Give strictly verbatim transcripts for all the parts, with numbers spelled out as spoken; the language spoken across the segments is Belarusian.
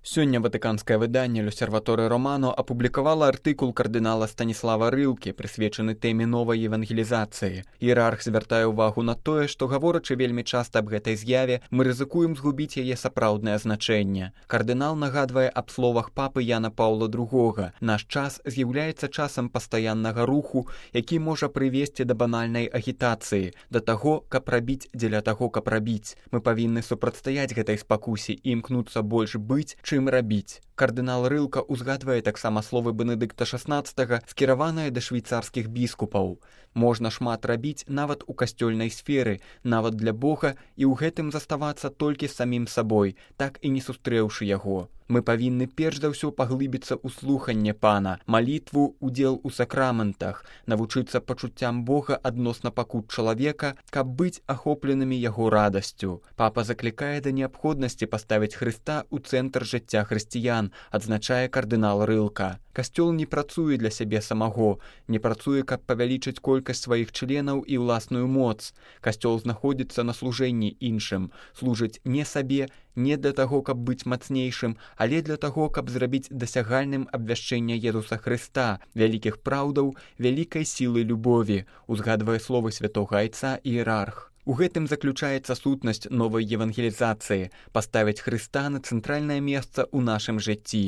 Сёння ватыканскае выданне «L'Osservatore Romano» апублікавала артыкул кардынала Станіслава Рылкі, прысвечаны тэме новай евангелізацыі. Іерарх звяртае ўвагу на тое, што, гаворачы вельмі часта аб гэтай з'яве, мы рызыкуем згубіць яе сапраўднае значэнне. Кардынал нагадвае аб словах папы Яна Паўла другога. Наш час з'яўляецца часам пастаяннага руху, які можа прывесці да банальнай агітацыі, да таго, каб рабіць дзеля таго, каб рабіць. Мы павінны супрацьстаяць гэтай спакусе і імкнуцца больш быць, чым рабіць. Кардынал Рылка ўзгадвае таксама словы Бенедыкта шаснаццатага, скіраваныя да швейцарскіх біскупаў. Можна шмат рабіць нават у касцёльнай сферы, нават для Бога, і ў гэтым заставацца толькі самім сабой, так і не сустрэўшы яго. Мы павінны перш за ўсё паглыбіцца ў слуханне Пана, малітву, удзел у сакраментах, навучыцца пачуццям Бога адносна пакут чалавека, каб быць ахопленымі яго радасцю. Папа заклікае да неабходнасці паставіць Хрыста ў цэнтр жыцця хрысціян, адзначае кардынал Рылка. Касцёл не працуе для сябе самого, не працуе, каб павялічыць колькасць сваіх членаў і ўласную моц. Касцёл знаходзіцца на служэнні іншым, служыць не сабе, не для таго, каб быць мацнейшым, але для таго, каб зрабіць дасягальным абвяшчэнне Езуса Хрыста, вялікіх праўдаў, вялікай сілы любові, узгадвае словы святога айца іерарх. У гэтым заключаецца сутнасць новай евангелізацыі – паставіць Хрыста на цэнтральнае месца ў нашым жыцці.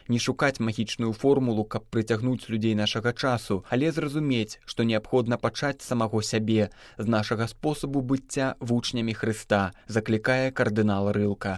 Не шукаць магічную формулу, каб прыцягнуць людзей нашага часу, але зразумець, што неабходна пачаць самого сябе, з нашага спосабу быцця вучнямі Хрыста, заклікае кардынал Рылка.